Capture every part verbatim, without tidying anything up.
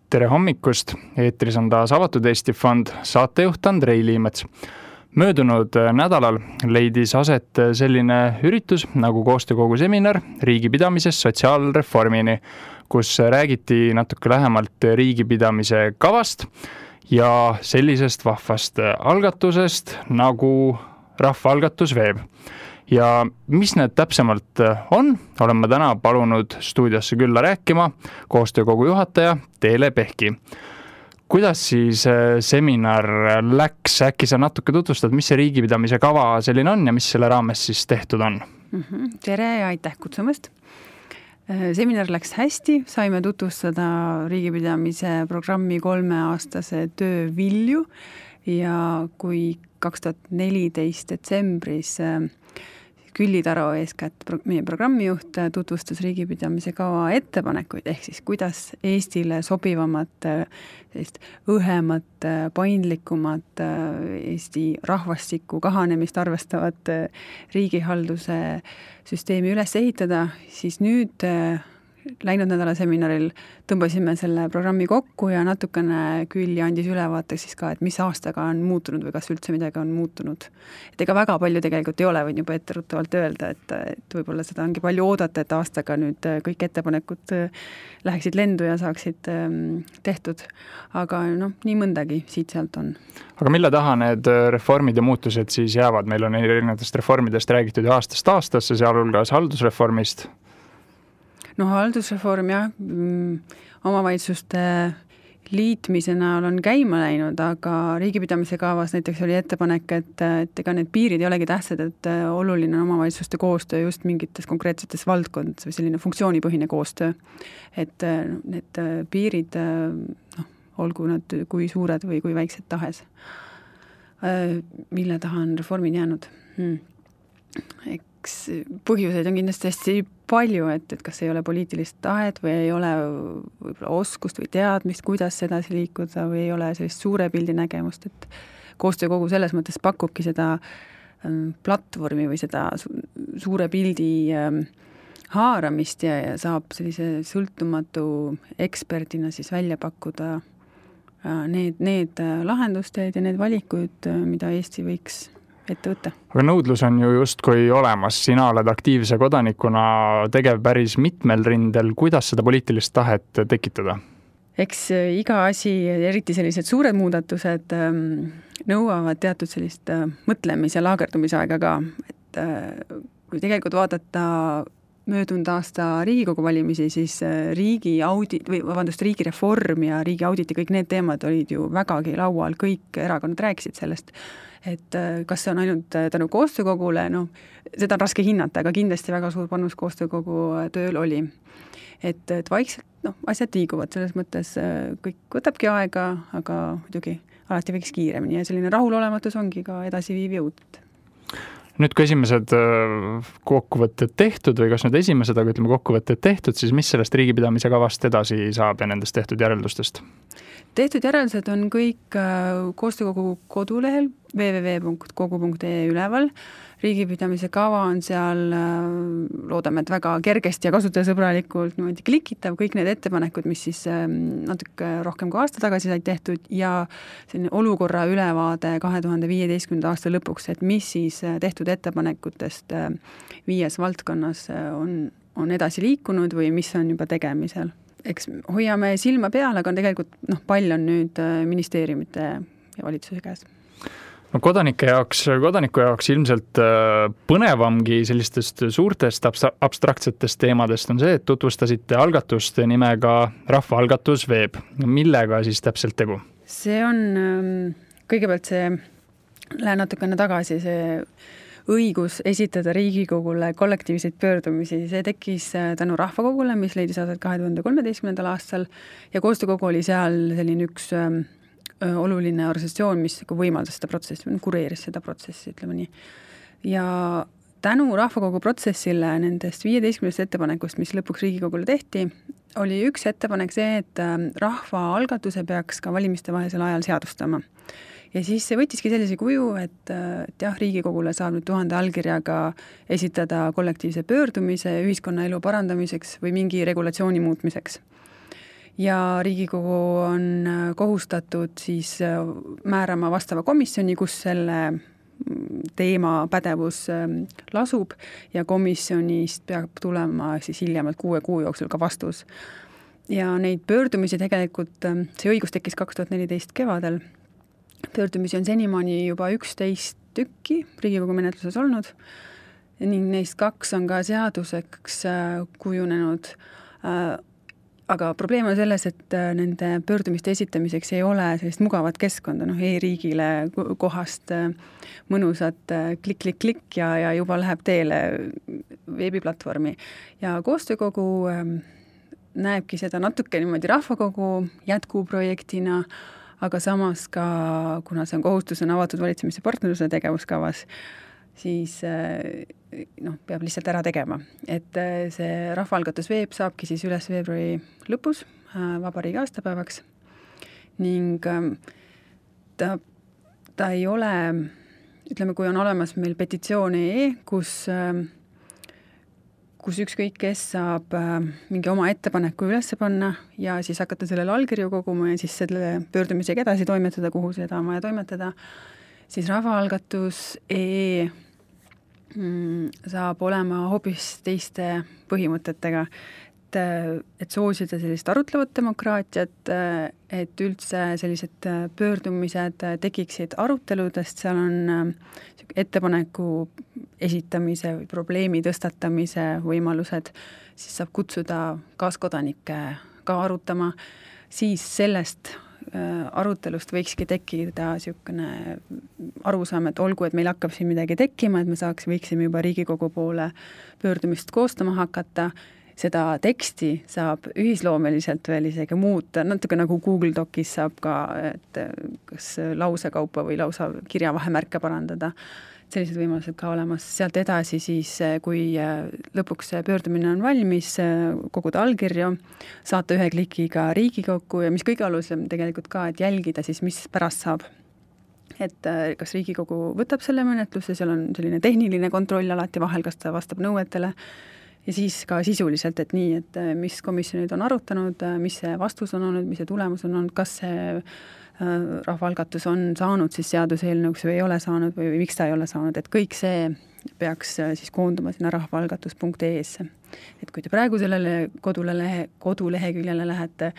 Tere hommikust, eetris on taas Avatud Eesti Fond, saatejuht Andrei Liimets. Möödunud nädalal leidis aset selline üritus nagu koostöökogu seminar riigipidamisest sotsiaalreformini, kus räägiti natuke lähemalt riigipidamise kavast ja sellisest vahvast algatusest nagu rahvaalgatus veeb. Ja mis need täpsemalt on, olen ma täna palunud stuudiosse külla rääkima koostöökogu juhataja Teele Pehki. Kuidas siis seminar läks? Äkki sa natuke tutvustad, mis see riigipidamise kava selline on ja mis selle raames siis tehtud on? Mm-hmm. Tere ja aitäh kutsumast. Seminar läks hästi, saime tutvustada riigipidamise programmi kolmeaastase töö vilju ja kui kaks tuhat neliteist detsembris Külli Taro eeskätt meie programmijuht tutvustas riigipidamise kava ettepanekuid, ehk siis kuidas Eestile sobivamat, õhemat, paindlikumat Eesti rahvastiku kahanemist arvestavat riigihalduse süsteemi üles ehitada, siis nüüd läinud nädala seminaril tõmbasime selle programmi kokku ja natukene Külli andis ülevaate siis ka, et mis aastaga on muutunud või kas üldse midagi on muutunud. Et ega väga palju tegelikult ei ole, võin juba etteruttavalt öelda, et, et võib-olla seda ongi palju oodata, et aastaga nüüd kõik ettepanekud läheksid lendu ja saaksid tehtud. Aga noh, nii mõndagi siit sealt on. Aga mille taha need reformid ja muutused siis jäävad? Meil on erinevatest reformidest räägitud ju aastast aastasse, sealhulgas haldusreformist. No haldusreform jah, omavalitsuste liitmisena on käima läinud, aga riigipidamise kavas näiteks oli ettepanek, et, et ega need piirid ei olegi tähtsad, et oluline on omavalitsuste koostöö just mingites konkreetsetes valdkondades või selline funktsioonipõhine koostöö. Et need piirid, noh, olgu nad kui suured või kui väiksed tahes. Mille taha on reformid jäänud? Hmm. Eks põhjuseid on kindlasti hästi palju, et, et kas ei ole poliitilist tahet või ei ole võib-olla oskust või teadmist, kuidas edasi liikuda või ei ole sellist suure pildi nägemust, et koostöökogu selles mõttes pakubki seda platvormi või seda suure pildi haaramist ja, ja saab sellise sõltumatu eksperdina siis välja pakkuda need, need lahendusteed ja need valikuid, mida Eesti võiks ette võtta. Aga nõudlus on ju justkui olemas. Sina oled aktiivse kodanikuna tegev päris mitmel rindel. Kuidas seda poliitilist tahet tekitada? Eks iga asi, eriti sellised suured muudatused, nõuavad teatud sellist mõtlemis- ja laagerdumisaega ka. Et kui tegelikult vaadata möödunud aasta Riigikogu valimisi, siis riigi audit, või vabandust, riigi reform ja riigi audit ja kõik need teemad olid ju vägagi laual. Kõik erakonnad rääkisid sellest. Et kas see on ainult tänu koostöökogule, no seda on raske hinnata, aga kindlasti väga suur panus koostöökogu tööl oli. Et, et vaikselt no, asjad liiguvad, selles mõttes kõik võtabki aega, aga muidugi alati võiks kiiremini ja selline rahulolematus ongi ka edasiviiv jõud. Nüüd kui esimesed kokkuvõtted tehtud või kas nüüd esimesed, aga ütleme kokkuvõtted tehtud, siis mis sellest riigipidamise kavast edasi saab ja nendest tehtud järeldustest? Tehtud järeldused on kõik koostöökogu kodulehel w w w punkt kogu punkt e üleval. Riigipidamise kava on seal, loodame, et väga kergesti ja kasutajasõbralikult niimoodi klikitav, kõik need ettepanekud, mis siis natuke rohkem kui aasta tagasi said tehtud ja selline olukorra ülevaade kahe tuhande viieteistkümnenda aasta lõpuks, et mis siis tehtud ettepanekutest viies valdkonnas on, on edasi liikunud või mis on juba tegemisel. Eks hoiame silma peale, aga tegelikult noh, pall on nüüd ministeeriumite ja valitsuse käes. No kodanike jaoks, kodaniku jaoks ilmselt põnevamgi sellistest suurtest abstraktsetest teemadest on see, et tutvustasite algatust nimega rahvaalgatus veeb. Millega siis täpselt tegu? See on kõigepealt see, lähen natukene tagasi, see õigus esitada Riigikogule kollektiivseid pöördumisi. See tekkis tänu rahvakogule, mis leidis aset kahe tuhande kolmeteistkümnendal aastal ja koostöökogu oli seal selline üks oluline organisatsioon, mis võimaldas seda protsessi, kureeris seda protsessi, ütleme nii. Ja tänu rahvakogu protsessile nendest viieteistkümnest ettepanekust, mis lõpuks Riigikogule tehti, oli üks ettepanek see, et rahvaalgatuse peaks ka valimiste vahelisel ajal seadustama. Ja siis see võttiski sellise kuju, et, et jah, Riigikogule saab nüüd tuhande allkirjaga esitada kollektiivse pöördumise ühiskonna elu parandamiseks või mingi regulatsiooni muutmiseks. ja Riigikogu on kohustatud siis määrama vastava komisjoni, kus selle teema pädevus lasub ja komisjonist peab tulema siis hiljemalt kuue kuu jooksul ka vastus. Ja neid pöördumisi tegelikult, see õigus tekkis kaks tuhat neliteist kevadel, pöördumisi on senimaani juba üksteist tükki Riigikogu menetluses olnud ning neist kaks on ka seaduseks kujunenud. Aga probleem on selles, et nende pöördumiste esitamiseks ei ole sellist mugavat keskkonda, noh e-riigile kohast mõnusat klik-klik-klik ja, ja juba läheb teele veebiplatvormi. Ja koostöökogu näebki seda natuke niimoodi rahvakogu jätkuprojektina, aga samas ka, kuna see on kohustus on avatud valitsemise partnerluse tegevuskavas, siis noh, peab lihtsalt ära tegema. Et see rahvaalgatus veeb saabki siis üles veebruari lõpus vabariigi aastapäevaks ning ta, ta ei ole, ütleme, kui on olemas meil petitsioon.ee, kus, kus ükskõik kes saab mingi oma ettepaneku üles panna ja siis hakata sellele allkirju koguma ja siis selle pöördumisega edasi toimetada, kuhu seda on vaja toimetada, siis rahvaalgatus.ee saab olema hoopis teiste põhimõtetega, et, et soosida sellist arutlevat demokraatiat, et üldse sellised pöördumised tekiksid aruteludest, seal on ettepaneku esitamise või probleemi tõstatamise võimalused, siis saab kutsuda kaaskodanikke ka arutama, siis sellest arutelust võikski tekkida niisugune arusaam, et olgu, et meil hakkab siin midagi tekkima, et me saaks, võiksime juba Riigikogu poole pöördumist koostama hakata, seda teksti saab ühisloomeliselt veel isegi muuta, natuke nagu Google Docis saab ka, et kas lausekaupa või lausa kirjavahemärke parandada, sellised võimalused ka olemas. Sealt edasi siis, kui lõpuks pöördumine on valmis, koguda allkirju, saata ühe klikiga Riigikokku ja mis kõige alusem tegelikult ka, et jälgida siis, mis pärast saab. Et kas Riigikogu võtab selle menetluse, seal on selline tehniline kontroll alati vahel, kas ta vastab nõuetele ja siis ka sisuliselt, et nii, et mis komisjonid on arutanud, mis see vastus on olnud, mis see tulemus on olnud, kas see rahvaalgatus on saanud siis seaduseelnõuks või ei ole saanud või, või miks ta ei ole saanud, et kõik see peaks siis koonduma sinna rahvaalgatus.ee-sse. Et kui te praegu sellele kodulehe, koduleheküljele lähete,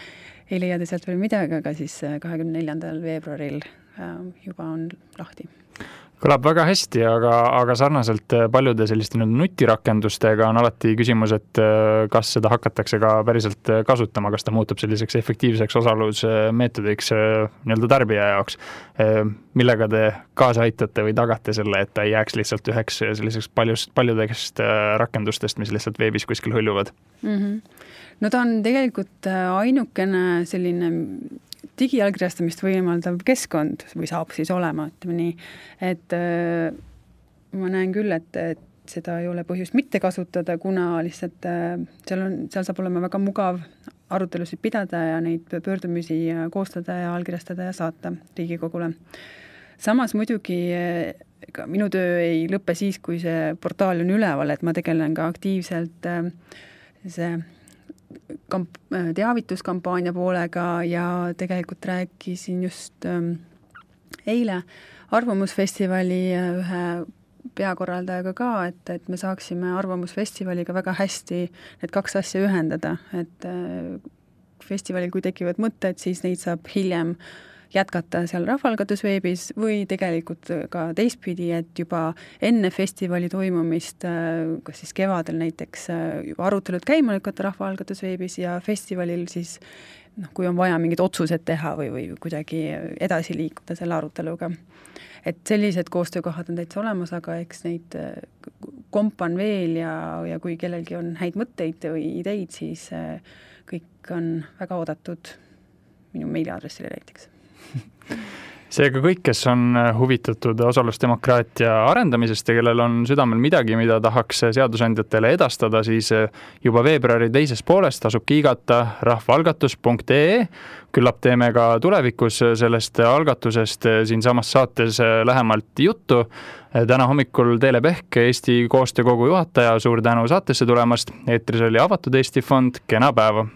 ei leia te sealt veel midagi, aga siis kahekümne neljandal veebruaril juba on lahti. Kõlab väga hästi, aga, aga sarnaselt paljude selliste nutirakendustega on alati küsimus, et kas seda hakatakse ka päriselt kasutama, kas ta muutub selliseks efektiivseks osalusmeetodiks nii-öelda tarbija jaoks. Millega te kaasa aitate või tagate selle, et ta ei jääks lihtsalt üheks selliseks paljust, paljudest rakendustest, mis lihtsalt veebis kuskil hõljuvad? Mm-hmm. No ta on tegelikult ainukene selline digiallkirjastamist võimaldav keskkond või saab siis olema, ütleme nii, et äh, ma näen küll, et, et seda ei ole põhjust mitte kasutada, kuna lihtsalt äh, seal, on, seal saab olema väga mugav arutelusid pidada ja neid pöördumisi koostada ja allkirjastada ja saata Riigikogule. Samas muidugi ega minu töö ei lõppe siis, kui see portaal on üleval, et ma tegelen ka aktiivselt äh, see kamp- teavituskampaania poolega ja tegelikult rääkisin just ähm, eile Arvamusfestivali ühe peakorraldajaga ka, et, et me saaksime Arvamusfestivaliga väga hästi need kaks asja ühendada, et äh, festivalil, kui tekivad mõtted, siis neid saab hiljem jätkata seal rahvaalgatusveebis või tegelikult ka teistpidi, et juba enne festivali toimumist, kas siis kevadel näiteks juba arutelud käima lükata rahvaalgatusveebis ja festivalil siis, noh, kui on vaja mingid otsused teha või, või kuidagi edasi liikuda selle aruteluga. Et sellised koostöökohad on täitsa olemas, aga eks neid kompan veel ja, ja kui kellelgi on häid mõtteid või ideid, siis kõik on väga oodatud minu meiliaadressile näiteks. Seega kõik, kes on huvitatud osalusdemokraatia arendamisest ja kellel on südamel midagi, mida tahaks seadusandjatele edastada, siis juba veebruari teises poolest tasub kiigata rahvaalgatus.ee. Küllap teeme ka tulevikus sellest algatusest siin samas saates lähemalt juttu. Täna hommikul Teele Pehk, Eesti koostöökogu juhataja, suur tänu saatesse tulemast. Eetris oli Avatud Eesti Fond, kena päeva!